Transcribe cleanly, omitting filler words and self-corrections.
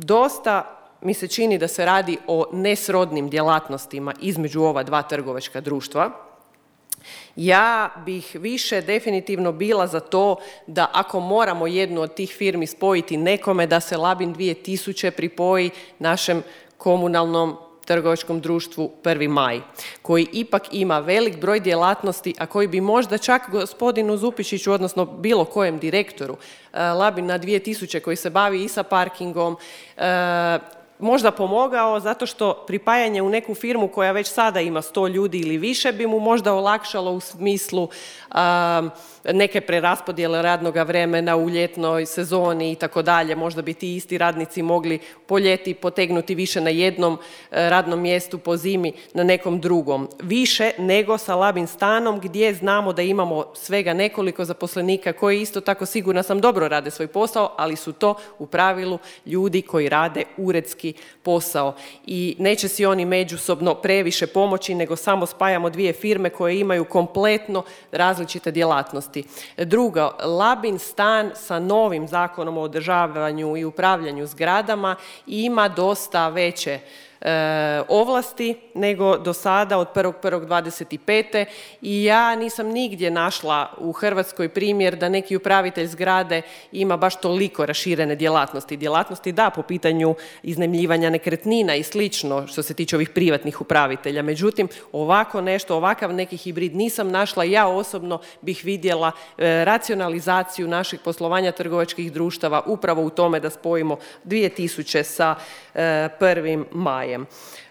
dosta mi se čini da se radi o nesrodnim djelatnostima između ova dva trgovačka društva. Ja bih više definitivno bila za to da ako moramo jednu od tih firmi spojiti nekome, da se Labin 2000 pripoji našem komunalnom trgovačkom društvu 1. maj, koji ipak ima velik broj djelatnosti, a koji bi možda čak gospodinu Zupičiću, odnosno bilo kojem direktoru Labina 2000 koji se bavi i sa parkingom, možda pomogao, zato što pripajanje u neku firmu koja već sada ima 100 ljudi ili više bi mu možda olakšalo u smislu neke preraspodjele radnog vremena u ljetnoj sezoni i tako dalje. Možda bi ti isti radnici mogli po ljeti potegnuti više na jednom radnom mjestu, po zimi na nekom drugom. Više nego sa Labin stanom gdje znamo da imamo svega nekoliko zaposlenika koji isto tako, sigurna sam, dobro rade svoj posao, ali su to u pravilu ljudi koji rade uredski posao i neće si oni međusobno previše pomoći, nego samo spajamo dvije firme koje imaju kompletno različite djelatnosti. Drugo, Labin stan sa novim zakonom o održavanju i upravljanju zgradama ima dosta veće ovlasti nego do sada od 1.1.25. i ja nisam nigdje našla u Hrvatskoj primjer da neki upravitelj zgrade ima baš toliko raširene djelatnosti. Djelatnosti da, po pitanju iznajmljivanja nekretnina i slično što se tiče ovih privatnih upravitelja. Međutim, ovako nešto, ovakav neki hibrid nisam našla. Ja osobno bih vidjela racionalizaciju naših poslovanja trgovačkih društava upravo u tome da spojimo 2000 sa 1. majem.